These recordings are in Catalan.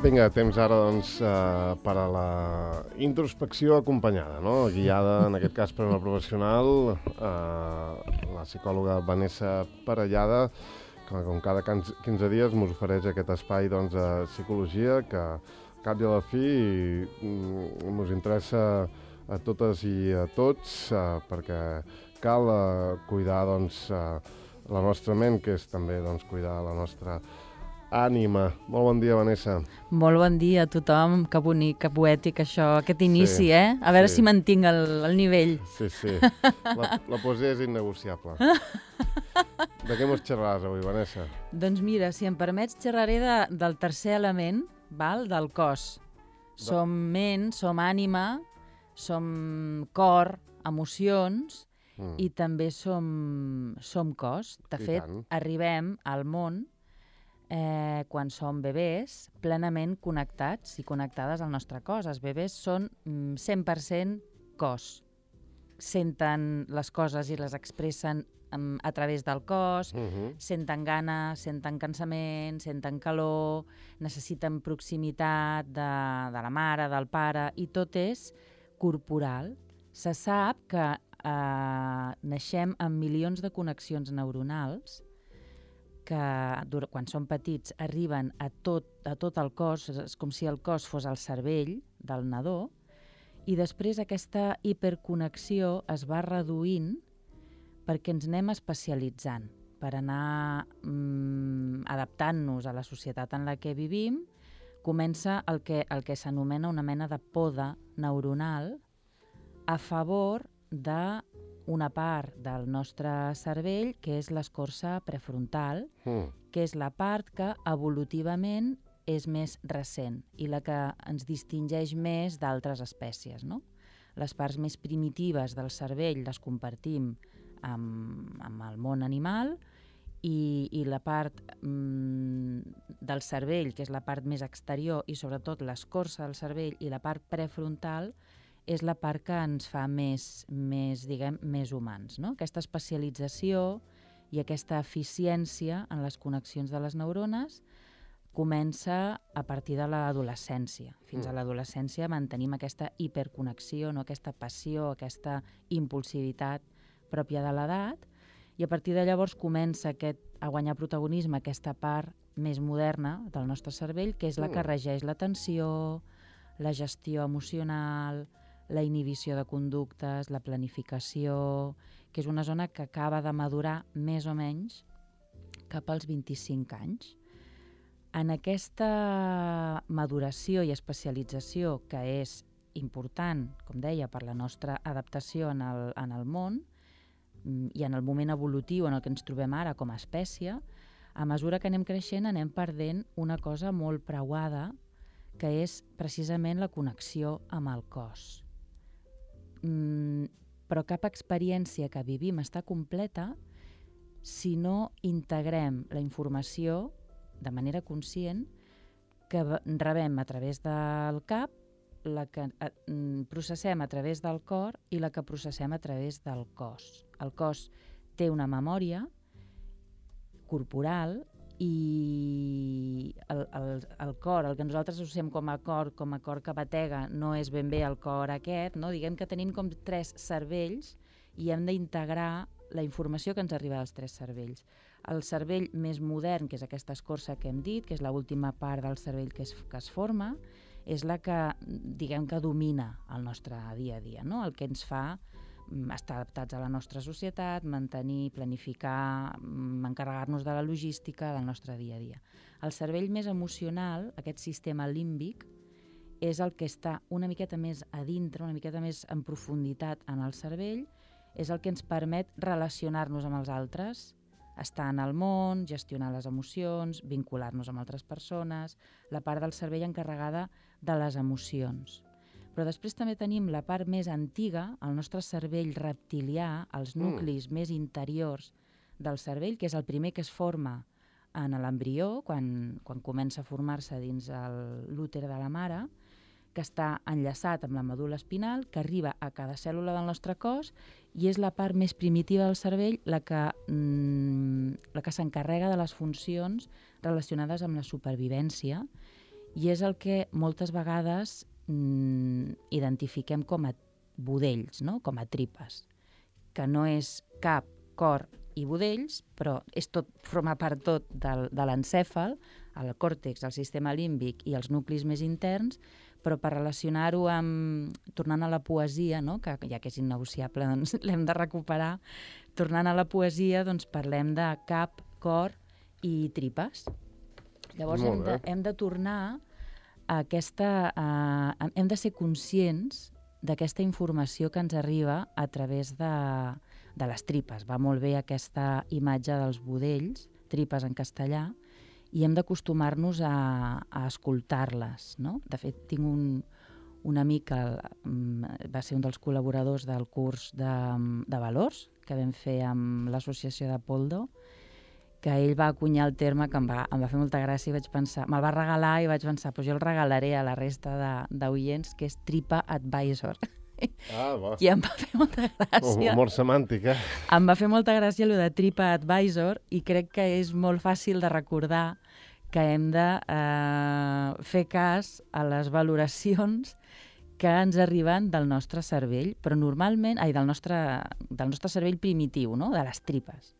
Vinga, temps ara doncs, per a la introspecció acompanyada, no? Guiada, en aquest cas, per una professional, la psicòloga Vanessa Parellada, que com cada 15 dies ens ofereix aquest espai doncs, de psicologia que, al cap i a la fi, ens interessa a totes i a tots, perquè cal cuidar doncs, la nostra ment, que és també doncs, cuidar la nostra ànima. Molt bon dia, Vanessa. Molt bon dia a tothom. Que bonic, que poètic això, aquest inici, A veure si mantinc el nivell. Sí. La poesia és innegociable. De què mos xerraràs avui, Vanessa? Doncs mira, si em permets, xerraré del tercer element, del cos. Som ment, som ànima, som cor, emocions i també som cos. De fet, arribem al món quan som bebès, plenament connectats i connectades al nostre cos. Els bebès són 100% cos. Senten les coses i les expressen a través del cos, senten gana, senten cansament, senten calor, necessiten proximitat de la mare, del pare, i tot és corporal. Se sap que naixem amb milions de connexions neuronals que quan som petits arriben a tot el cos, és com si el cos fos el cervell del nadó, i després aquesta hiperconnexió es va reduint perquè ens anem especialitzant, per anar adaptant-nos a la societat en la que vivim. Comença el que s'anomena una mena de poda neuronal a favor d'una part del nostre cervell, que és l'escorça prefrontal, que és la part que evolutivament és més recent i la que ens distingeix més d'altres espècies, no? Les parts més primitives del cervell les compartim amb el món animal i la part del cervell, que és la part més exterior i sobretot l'escorça del cervell i la part prefrontal, és la part que ens fa més humans, no? Aquesta especialització i aquesta eficiència en les connexions de les neurones comença a partir de l'adolescència. Fins a l'adolescència mantenim aquesta hiperconnexió, no? Aquesta passió, aquesta impulsivitat pròpia de l'edat, i a partir de llavors comença a guanyar protagonisme aquesta part més moderna del nostre cervell, que és la que regeix l'atenció, la gestió emocional, la inhibició de conductes, la planificació, que és una zona que acaba de madurar més o menys cap als 25 anys. En aquesta maduració i especialització, que és important, com deia, per la nostra adaptació en el món i en el moment evolutiu en el que ens trobem ara com a espècie, a mesura que anem creixent anem perdent una cosa molt preuada, que és precisament la connexió amb el cos. Però cap experiència que vivim està completa si no integrem la informació de manera conscient que rebem a través del cap, la que processem a través del cor i la que processem a través del cos. El cos té una memòria corporal i el cor, el que nosaltres associem com a cor que batega, no és ben bé el cor aquest, no? Diguem que tenim com 3 cervells i hem d'integrar la informació que ens arriba dels 3 cervells. El cervell més modern, que és aquesta escorça que hem dit, que és l'última part del cervell que es forma, és la que, diguem que domina el nostre dia a dia, no? El que ens fa estar adaptats a la nostra societat, mantenir, planificar, encarregar-nos de la logística del nostre dia a dia. El cervell més emocional, aquest sistema límbic, és el que està una miqueta més a dintre, una miqueta més en profunditat en el cervell, és el que ens permet relacionar-nos amb els altres, estar en el món, gestionar les emocions, vincular-nos amb altres persones, la part del cervell encarregada de les emocions. Però després també tenim la part més antiga, el nostre cervell reptilià, els nuclis més interiors del cervell, que és el primer que es forma en l'embrió, quan comença a formar-se dins l'úter de la mare, que està enllaçat amb la medul·la espinal, que arriba a cada cèl·lula del nostre cos i és la part més primitiva del cervell la que s'encarrega de les funcions relacionades amb la supervivència i és el que moltes vegades identifiquem com a budells, no? Com a tripes, que no és cap, cor i budells, però forma part tot de l'encèfal, el còrtex, el sistema límbic i els nuclis més interns, però per relacionar-ho amb... Tornant a la poesia, no? Que ja que és innegociable, doncs l'hem de recuperar. Tornant a la poesia, doncs parlem de cap, cor i tripes. Llavors hem de tornar a aquesta... hem de ser conscients d'aquesta informació que ens arriba a través de les tripes. Va molt bé aquesta imatge dels budells, tripes en castellà, i hem d'acostumar-nos a escoltar-les, no? De fet, tinc un amic que va ser un dels col·laboradors del curs de valors que vam fer amb l'associació de Poldo, que ell va acunyar el terme que em va fer molta gràcia i vaig pensar, me'l va regalar i vaig pensar, doncs jo el regalaré a la resta d'oients, que és Tripa Advisor. I em va fer molta gràcia. Humor semàntic, eh? Em va fer molta gràcia allò de Tripa Advisor i crec que és molt fàcil de recordar que hem de fer cas a les valoracions que ens arriben del nostre cervell, però normalment, del nostre cervell primitiu, no? De les tripes.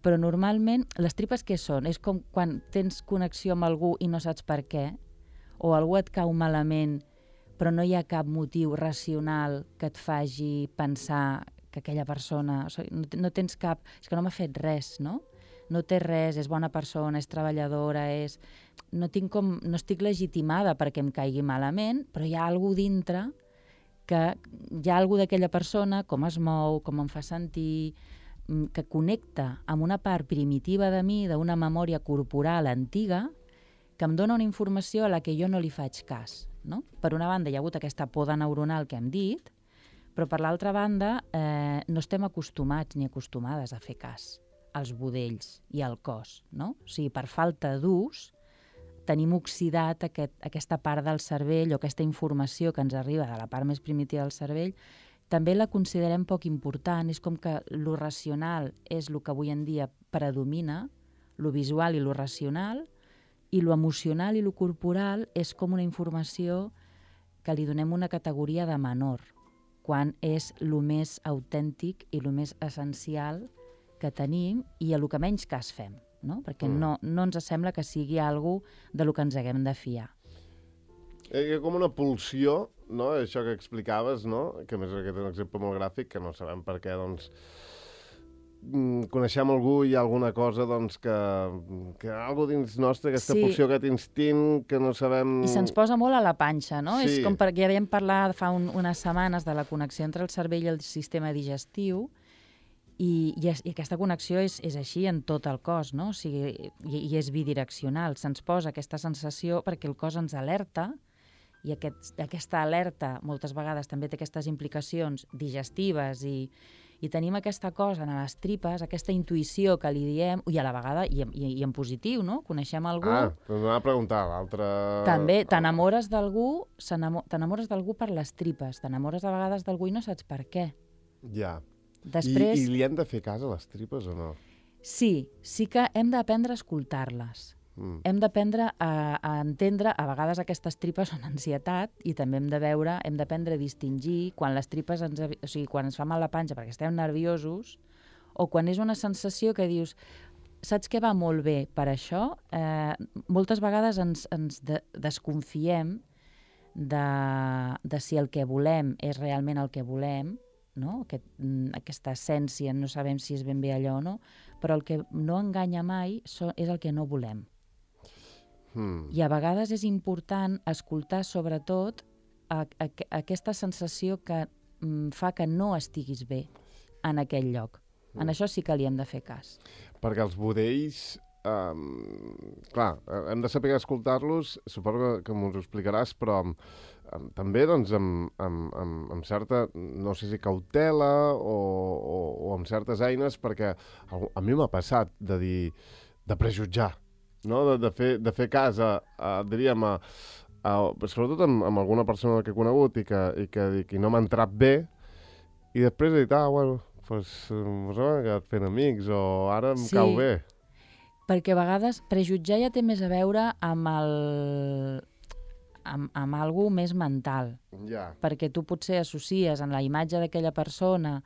Però normalment, les tripes què són? És com quan tens connexió amb algú i no saps per què, o algú et cau malament, però no hi ha cap motiu racional que et faci pensar que aquella persona... O sigui, no tens cap... És que no m'ha fet res, no? No té res, és bona persona, és treballadora, no estic legitimada perquè em caigui malament, però hi ha alguna cosa dintre que hi ha alguna cosa d'aquella persona, com es mou, com em fa sentir, que connecta amb una part primitiva de mi, d'una memòria corporal antiga, que em dona una informació a la que jo no li faig cas. No? Per una banda, hi ha hagut aquesta poda neuronal que hem dit, però per l'altra banda no estem acostumats ni acostumades a fer cas als budells i al cos. No? O sigui, per falta d'ús, tenim oxidat aquesta part del cervell o aquesta informació que ens arriba de la part més primitiva del cervell, també la considerem poc important. És com que lo racional és el que avui en dia predomina, lo visual i lo racional, i lo emocional i lo corporal és com una informació que li donem una categoria de menor, quan és lo més autèntic i lo més essencial que tenim i a lo que menys cas fem, no? Perquè no ens sembla que sigui algo de lo que ens haguem de fiar. Hi ha com una pulsió, no? Això que explicaves, no? Que a més aquest és un exemple molt gràfic, que no sabem per què, doncs, coneixem algú i hi ha alguna cosa, doncs, que algú dins nostre, aquesta pulsió, aquest instint, que no sabem... I se'ns posa molt a la panxa, no? Sí. És com perquè ja vam parlar fa unes setmanes de la connexió entre el cervell i el sistema digestiu, i aquesta connexió és així en tot el cos, no? O sigui, i és bidireccional. Se'ns posa aquesta sensació perquè el cos ens alerta, i aquesta alerta moltes vegades també té aquestes implicacions digestives i tenim aquesta cosa en les tripes, aquesta intuïció que li diem, i a la vegada, i en positiu, no? Coneixem algú... T'anava a preguntar, l'altre... També, t'enamores d'algú per les tripes, t'enamores a vegades d'algú i no saps per què. Ja. Després... I li hem de fer cas a les tripes o no? Sí que hem d'aprendre a escoltar-les. Hem d'aprendre a entendre, a vegades aquestes tripes són ansietat, i també hem d'aprendre a distingir quan les tripes quan ens fa mal la panxa perquè estem nerviosos, o quan és una sensació que dius, saps què va molt bé per això? Moltes vegades ens desconfiem de si el que volem és realment el que volem, no? Aquesta essència, no sabem si és ben bé allò o no, però el que no enganya mai és el que no volem. I a vegades és important escoltar sobretot aquesta sensació que fa que no estiguis bé en aquell lloc. En això sí que li hem de fer cas. Perquè els budells, clar, hem de saber escoltar-los, suposo que m'ho explicaràs, però també doncs, amb certa, no sé si cautela o amb certes eines, perquè a mi m'ha passat de prejutjar, no? De fer cas diríem, sobretot amb alguna persona que he conegut i que no m'ha entrat bé, i després he dit, bueno, doncs m'ha quedat fent amics, o ara em cau bé. Perquè a vegades prejutjar ja té més a veure amb algo més mental. Ja. Perquè tu potser associes en la imatge d'aquella persona,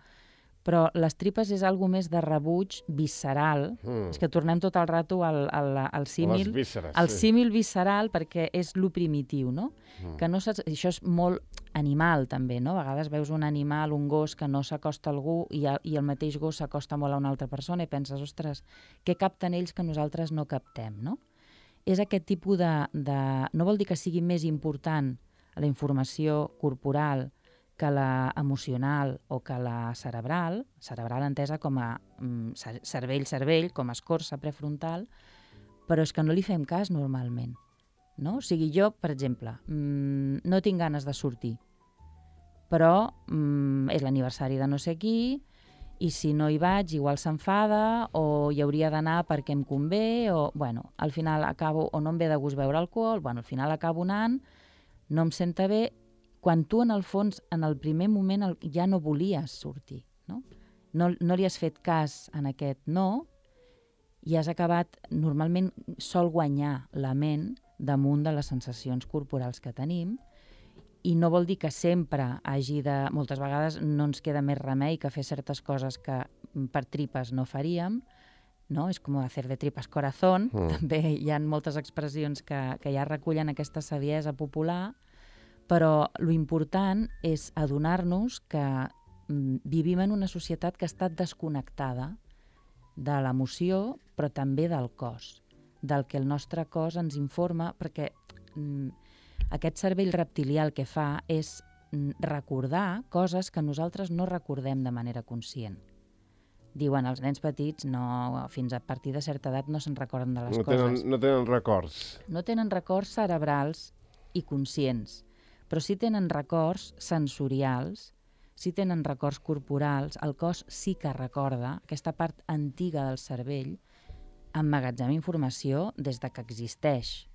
però les tripes és algo més de rebuig visceral. És que tornem tot el rato al símil. Les vísceres, al sí. símil visceral, perquè és lo primitiu, no? Que no saps, això és molt animal, també, no? A vegades veus un animal, un gos, que no s'acosta a algú i el mateix gos s'acosta molt a una altra persona i penses, ostres, què capten ells que nosaltres no captem, no? És aquest tipus no vol dir que sigui més important la informació corporal que la emocional o que la cerebral entesa com a cervell, com a escorça prefrontal, però és que no li fem cas normalment. No? O sigui, jo, per exemple, no tinc ganes de sortir, però és l'aniversari de no sé qui, i si no hi vaig, igual s'enfada, o hi hauria d'anar perquè em convé, o, bueno, al final acabo, o no em ve de gust beure alcohol, bueno, al final acabo anant, no em senta bé, quan tu, en el fons, en el primer moment ja no volies sortir, no? No li has fet cas en aquest no, i has acabat, normalment sol guanyar la ment damunt de les sensacions corporals que tenim, i no vol dir que sempre hagi de... Moltes vegades no ens queda més remei que fer certes coses que per tripes no faríem, no? És com hacer de tripas corazón. També hi ha moltes expressions que ja recullen aquesta saviesa popular, però lo important és adonar-nos que vivim en una societat que està desconnectada de l'emoció, però també del cos, del que el nostre cos ens informa, perquè aquest cervell reptilià el que fa és recordar coses que nosaltres no recordem de manera conscient. Diuen, els nens petits fins a partir de certa edat no se'n recorden de les coses. No tenen records. No tenen records cerebrals i conscients, però sí tenen records sensorials, sí tenen records corporals, el cos sí que recorda, aquesta part antiga del cervell emmagatzema informació des de que existeix.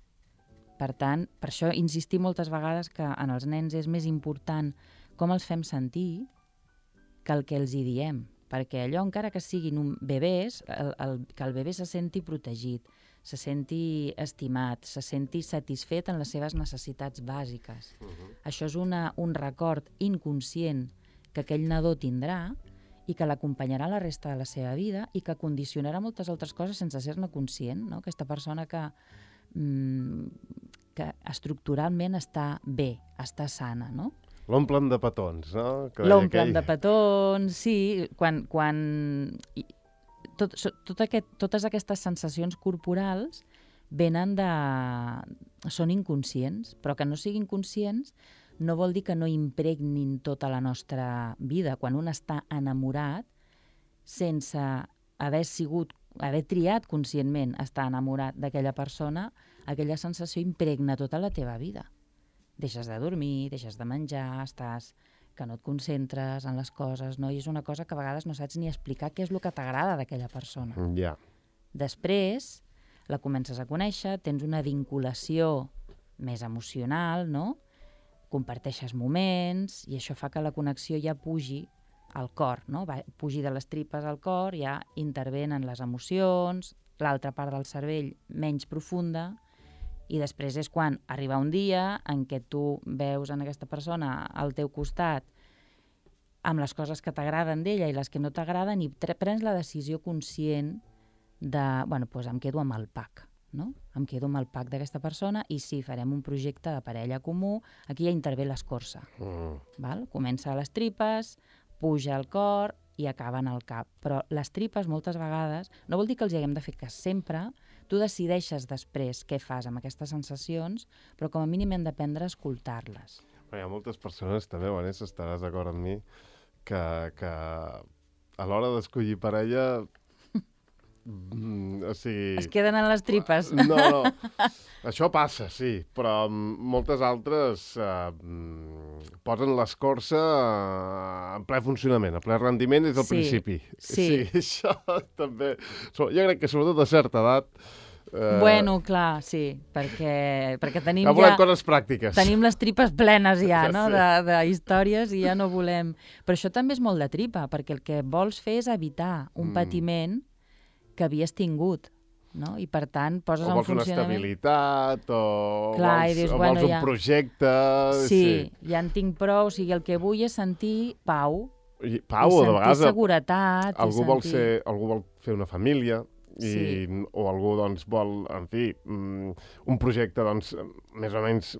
Per tant, per això insistir moltes vegades que en els nens és més important com els fem sentir que el que els hi diem, perquè allò, encara que siguin bebès, que el bebè se senti protegit, se senti estimat, se senti satisfet en les seves necessitats bàsiques. Això és un record inconscient que aquell nadó tindrà i que l'acompanyarà la resta de la seva vida i que condicionarà moltes altres coses sense ser-ne conscient, no? Aquesta persona que estructuralment està bé, està sana, no? L'omplen de petons, no? L'omplen de petons, sí. Totes aquestes sensacions corporals són inconscients, però que no siguin conscients no vol dir que no impregnin tota la nostra vida. Quan un està enamorat, sense haver triat conscientment estar enamorat d'aquella persona, aquella sensació impregna tota la teva vida. Deixes de dormir, deixes de menjar, que no et concentres en les coses, no? I és una cosa que a vegades no saps ni explicar què és el que t'agrada d'aquella persona. Ja. Després la comences a conèixer, tens una vinculació més emocional, no? Comparteixes moments i això fa que la connexió ja pugi al cor, no? Pugi de les tripes al cor, ja intervenen les emocions, l'altra part del cervell menys profunda, i després és quan arriba un dia en què tu veus en aquesta persona al teu costat amb les coses que t'agraden d'ella i les que no t'agraden i prens la decisió conscient de, bueno, doncs em quedo amb el pack, no? Em quedo amb el pack d'aquesta persona i sí, farem un projecte de parella comú, aquí ja intervé l'escorça. Comença a les tripes, puja al cor i acaba en el cap. Però les tripes moltes vegades, no vol dir que els haguem de fer cas sempre, tu decideixes després què fas amb aquestes sensacions, però com a mínim hem d'aprendre a escoltar-les. Hi ha moltes persones també, Vanessa, estaràs d'acord amb mi, que a l'hora d'escollir parella... o sigui... Es queden en les tripes. No, això passa, sí, però moltes altres posen l'escorça en ple funcionament, a ple rendiment des del principi. Sí, això també... Jo crec que sobretot a certa edat... Bueno, clar, sí, perquè tenim ja volem coses pràctiques. Tenim les tripes plenes ja, no?, de històries i ja no volem... Però això també és molt de tripa, perquè el que vols fer és evitar un patiment que havies tingut. no? I per tant poses o en vols una funcionament... estabilitat, o Clar, vols, i dius, o bueno, vols un ja... projecte... Sí, ja en tinc prou, o sigui, el que vull és sentir pau, Pau, i o de sentir vegades seguretat, algú vol fer una família, Sí. o algú doncs, vol, en fi, un projecte doncs, més o menys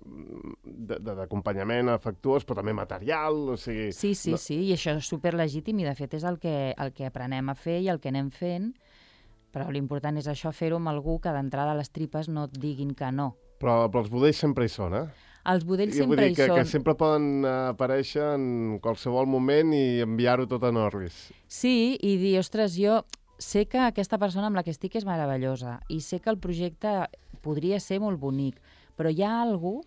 d'acompanyament afectuós, però també material, o sigui... Sí, i això és superlegítim i de fet és el que aprenem a fer i el que anem fent, però l'important és això, fer-ho amb algú que d'entrada les tripes no et diguin que no. Però els budells sempre hi són, Els budells Vull sempre dir hi són. que sempre poden aparèixer en qualsevol moment i enviar-ho tot en orris. Sí, i dir, ostres, jo sé que aquesta persona amb la que estic és meravellosa i sé que el projecte podria ser molt bonic, però hi ha algú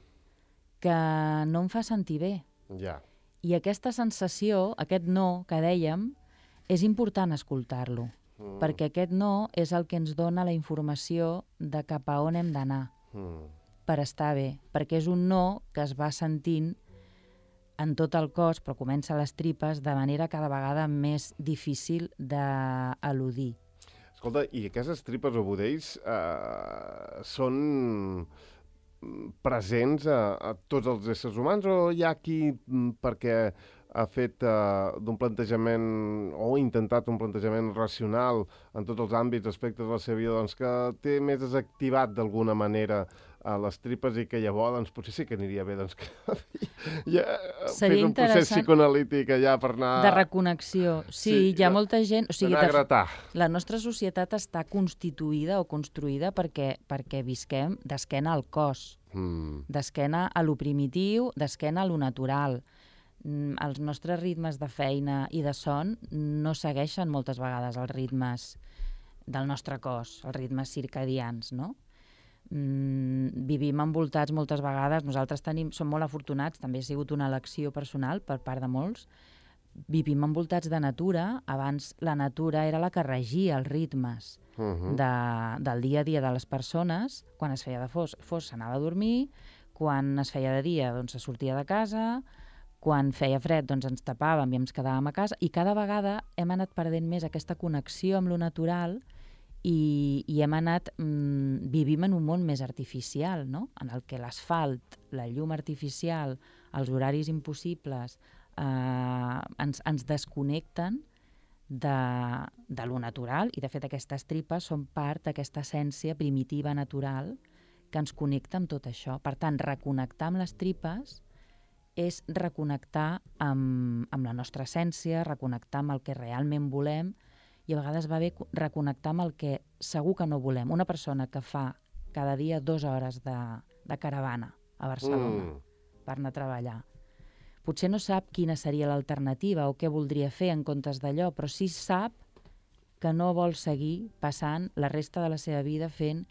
que no em fa sentir bé. Ja. I aquesta sensació, aquest no que dèiem, és important escoltar-lo, perquè aquest no és el que ens dona la informació de cap a on hem d'anar per estar bé, perquè és un no que es va sentint en tot el cos, però comença a les tripes de manera cada vegada més difícil d'eludir. Escolta, i aquestes tripes o budells són presents a tots els éssers humans, o hi ha qui, perquè ha fet d'un plantejament o ha intentat un plantejament racional en tots els àmbits, aspectes de la seva vida, doncs que té més desactivat d'alguna manera a les tripes i que llavors doncs, potser sí que aniria bé doncs, que ja fes un procés psicoanalític allà per anar... De reconnexió. Sí, hi ha molta gent... O sigui, d'anar a gratar. La nostra societat està constituïda o construïda perquè visquem d'esquena al cos, d'esquena a lo primitiu, d'esquena a lo natural. Els nostres ritmes de feina i de son no segueixen moltes vegades els ritmes del nostre cos, els ritmes circadians, no? Vivim envoltats moltes vegades, nosaltres som molt afortunats, també ha sigut una elecció personal per part de molts, vivim envoltats de natura, abans la natura era la que regia els ritmes del dia a dia de les persones, quan es feia de fos s'anava a dormir, quan es feia de dia doncs se sortia de casa, quan feia fred doncs ens tapàvem i ens quedàvem a casa, i cada vegada hem anat perdent més aquesta connexió amb lo natural i hem anat, vivim en un món més artificial, no? En el que l'asfalt, la llum artificial, els horaris impossibles ens desconnecten de lo natural, i de fet aquestes tripes són part d'aquesta essència primitiva natural que ens connecta amb tot això. Per tant, reconnectar amb les tripes és reconnectar amb la nostra essència, reconnectar amb el que realment volem, i a vegades va bé reconnectar amb el que segur que no volem. Una persona que fa cada dia 2 hores de caravana a Barcelona per anar a treballar, potser no sap quina seria l'alternativa o què voldria fer en comptes d'allò, però sí sap que no vol seguir passant la resta de la seva vida fent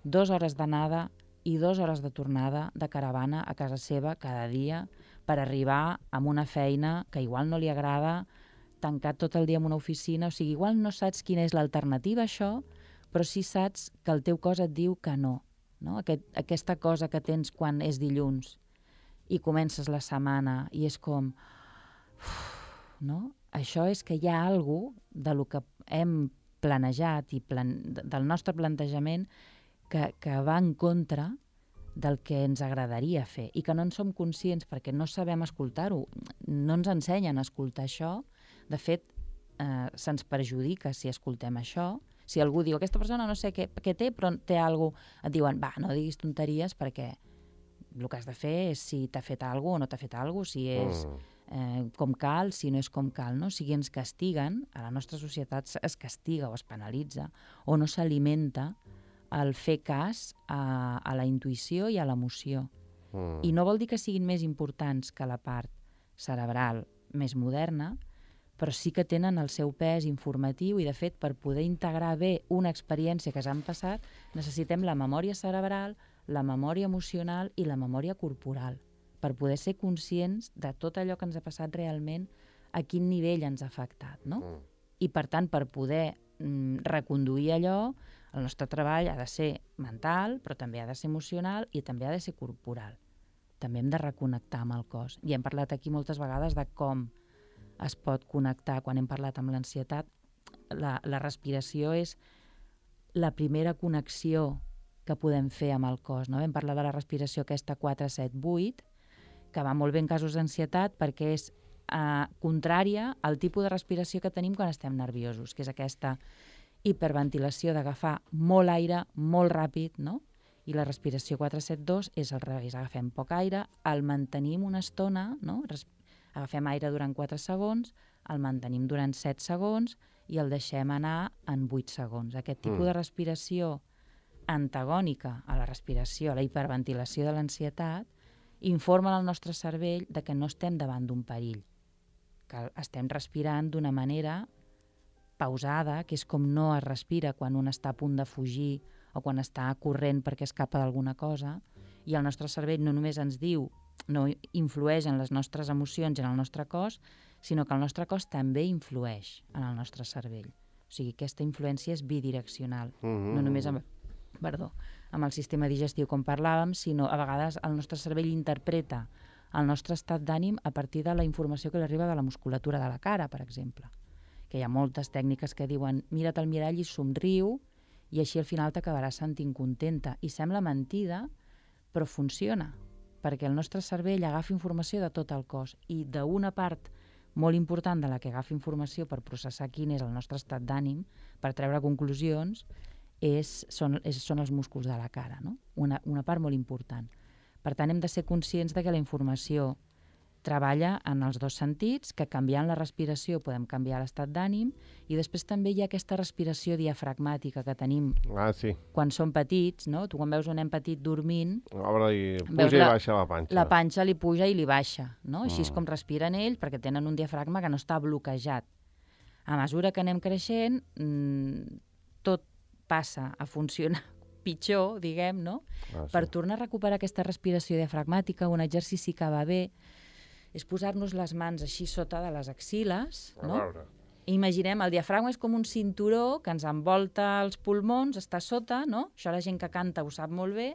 2 hores d'anada i 2 hores de tornada de caravana a casa seva cada dia per arribar a una feina que igual no li agrada, tancat tot el dia en una oficina, o sigui, igual no saps quina és l'alternativa a això, però sí saps que el teu cos et diu que no, no? Aquesta cosa que tens quan és dilluns i comences la setmana i és com... no? Això és que hi ha alguna cosa de lo que hem planejat i del nostre plantejament que va en contra del que ens agradaria fer i que no en som conscients perquè no sabem escoltar-ho, no ens ensenyen a escoltar això. De fet, se'ns perjudica si escoltem això. Si algú diu, aquesta persona no sé què té, però té alguna cosa, et diuen, va, no diguis tonteries perquè el que has de fer és si t'ha fet alguna cosa o no t'ha fet alguna cosa, si és com cal, si no és com cal, no? O sigui, ens castiguen, a la nostra societat es castiga o es penalitza o no s'alimenta el fer cas a la intuïció i a l'emoció. I no vol dir que siguin més importants que la part cerebral més moderna, però sí que tenen el seu pes informatiu i, de fet, per poder integrar bé una experiència que s'han passat, necessitem la memòria cerebral, la memòria emocional i la memòria corporal, per poder ser conscients de tot allò que ens ha passat realment, a quin nivell ens ha afectat, no? I, per tant, per poder reconduir allò, el nostre treball ha de ser mental, però també ha de ser emocional i també ha de ser corporal. També hem de reconnectar amb el cos. I hem parlat aquí moltes vegades de com es pot connectar. Quan hem parlat amb l'ansietat, la respiració és la primera connexió que podem fer amb el cos. No? Vam parlar de la respiració aquesta 4-7-8, que va molt bé en casos d'ansietat perquè és contrària al tipus de respiració que tenim quan estem nerviosos, que és aquesta hiperventilació d'agafar molt aire, molt ràpid, no? I la respiració 4-7-2 és al revés, agafem poc aire, el mantenim una estona, no? Agafem aire durant 4 segons, el mantenim durant 7 segons i el deixem anar en 8 segons. Aquest tipus de respiració antagònica a la respiració, a la hiperventilació de l'ansietat, informa al nostre cervell de que no estem davant d'un perill, que estem respirant d'una manera pausada, que és com no es respira quan un està a punt de fugir o quan està corrent perquè escapa d'alguna cosa, i el nostre cervell no només ens diu, no influeix en les nostres emocions i en el nostre cos, sinó que el nostre cos també influeix en el nostre cervell. O sigui, aquesta influència és bidireccional, no només amb el sistema digestiu, com parlàvem, sinó a vegades el nostre cervell interpreta el nostre estat d'ànim a partir de la informació que li arriba de la musculatura de la cara, per exemple. Que hi ha moltes tècniques que diuen mira't al mirall i somriu i així al final t'acabaràs sentint contenta. I sembla mentida, però funciona, perquè el nostre cervell agafa informació de tot el cos i d'una part molt important de la que agafa informació per processar quin és el nostre estat d'ànim, per treure conclusions, són els músculs de la cara, no? Una part molt important. Per tant, hem de ser conscients de que la informació treballa en els dos sentits, que canviant la respiració podem canviar l'estat d'ànim, i després també hi ha aquesta respiració diafragmàtica que tenim quan som petits, no? Tu quan veus un nen petit dormint, obre i puja i baixa la panxa. La panxa li puja i li baixa, no? Així és com respiren ells, perquè tenen un diafragma que no està bloquejat. A mesura que anem creixent, tot passa a funcionar pitjor, diguem, no? Per tornar a recuperar aquesta respiració diafragmàtica, un exercici que va bé és posar-nos les mans així sota de les axil·les, no? Imaginem, el diafragma és com un cinturó que ens envolta els pulmons, està sota, no? Això la gent que canta ho sap molt bé.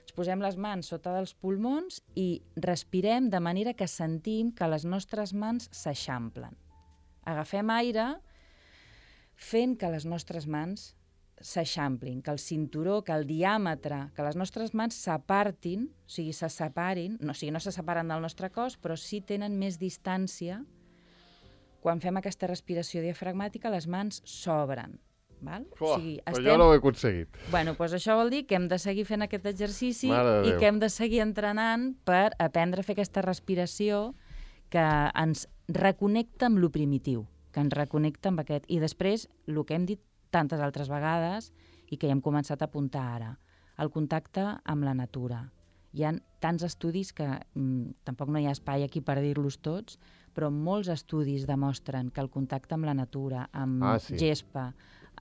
Ens posem les mans sota dels pulmons i respirem de manera que sentim que les nostres mans s'eixamplen. Agafem aire fent que les nostres mans s'eixamplin, que el cinturó, que el diàmetre, que les nostres mans s'apartin, o sigui, se separin, no se separen del nostre cos, però sí tenen més distància. Quan fem aquesta respiració diafragmàtica, les mans s'obren. Jo no ho he aconseguit. Bueno, doncs això vol dir que hem de seguir fent aquest exercici i que hem de seguir entrenant per aprendre a fer aquesta respiració que ens reconnecta amb lo primitiu, que ens reconnecta amb aquest. I després, el que hem dit tantes altres vegades i que ja hem començat a apuntar ara, el contacte amb la natura. Hi ha tants estudis que tampoc no hi ha espai aquí per dir-los tots, però molts estudis demostren que el contacte amb la natura, amb gespa,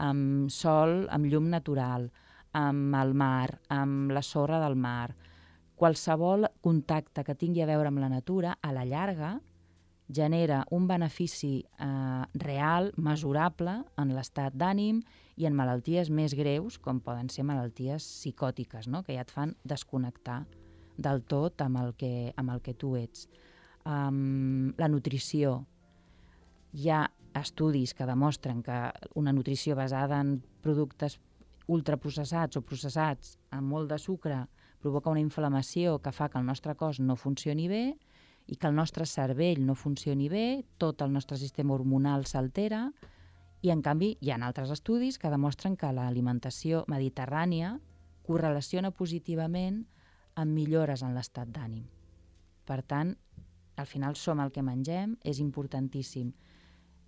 amb sol, amb llum natural, amb el mar, amb la sorra del mar, qualsevol contacte que tingui a veure amb la natura, a la llarga, genera un benefici real, mesurable, en l'estat d'ànim i en malalties més greus, com poden ser malalties psicòtiques, no? Que ja et fan desconnectar del tot amb el que tu ets. La nutrició. Hi ha estudis que demostren que una nutrició basada en productes ultraprocessats o processats amb molt de sucre provoca una inflamació que fa que el nostre cos no funcioni bé i que el nostre cervell no funcioni bé, tot el nostre sistema hormonal s'altera i, en canvi, hi ha altres estudis que demostren que l'alimentació mediterrània correlaciona positivament amb millores en l'estat d'ànim. Per tant, al final som el que mengem, és importantíssim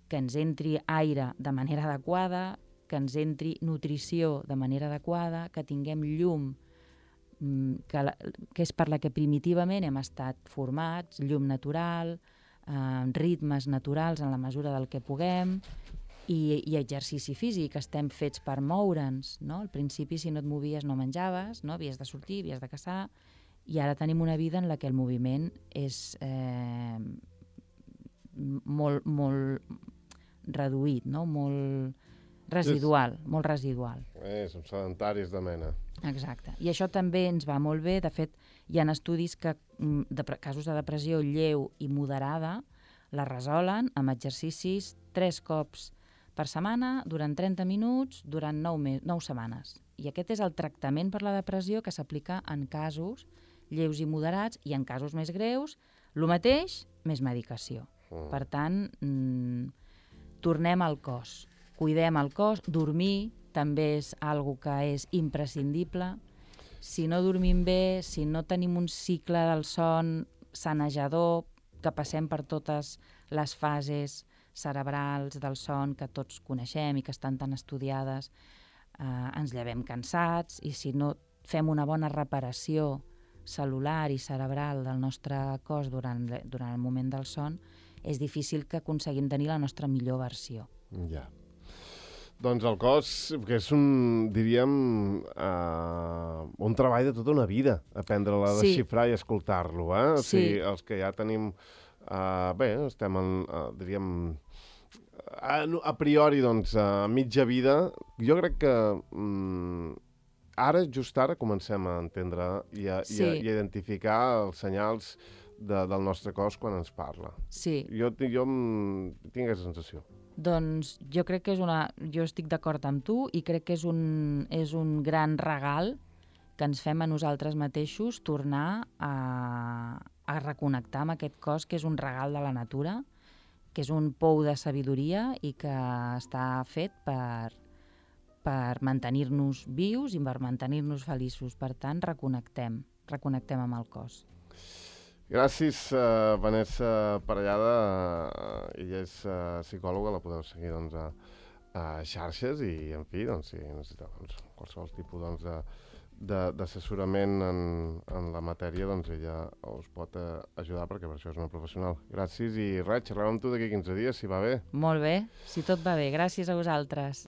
que ens entri aire de manera adequada, que ens entri nutrició de manera adequada, que tinguem llum, que és per la que primitivament hem estat formats, llum natural, ritmes naturals en la mesura del que puguem, i exercici físic, estem fets per moure'ns, no? Al principi, si no et movies, no menjaves, no? Havies de sortir, havies de caçar, i ara tenim una vida en la que el moviment és molt reduït, no? Molt residual, molt residual. Som sedentaris de mena. Exacte. I això també ens va molt bé. De fet, hi ha estudis que casos de depressió lleu i moderada la resolen amb exercicis 3 cops per setmana, durant 30 minuts, durant 9 setmanes. I aquest és el tractament per la depressió que s'aplica en casos lleus i moderats, i en casos més greus, el mateix, més medicació. Per tant, tornem al cos, cuidem el cos, dormir també és algo que és imprescindible. Si no dormim bé, si no tenim un cicle del son sanejador, que passem per totes les fases cerebrals del son que tots coneixem i que estan tan estudiades, ens llevem cansats, i si no fem una bona reparació cel·lular i cerebral del nostre cos durant el moment del son, és difícil que aconseguim tenir la nostra millor versió. Ja. Doncs el cos, que és diríem, un treball de tota una vida, aprendre-la a desxifrar i escoltar-lo, eh? O sigui, els que ja tenim, bé, estem diríem, a priori, doncs, a mitja vida, jo crec que just ara, comencem a entendre i a identificar els senyals del nostre cos quan ens parla. Sí. Jo tinc aquesta sensació. Doncs jo crec que jo estic d'acord amb tu, i crec que és un gran regal que ens fem a nosaltres mateixos, tornar a reconnectar amb aquest cos, que és un regal de la natura, que és un pou de sabidoria i que està fet per mantenir-nos vius i per mantenir-nos feliços. Per tant, reconnectem amb el cos. Gràcies, Vanessa Parellada. Ella és psicòloga, la podeu seguir a xarxes i, en fi, si necessiteu qualsevol tipus d'assessorament en la matèria, ella us pot ajudar, perquè per això és una professional. Gràcies i res, xerrem amb tu d'aquí 15 dies, si va bé. Molt bé, si tot va bé. Gràcies a vosaltres.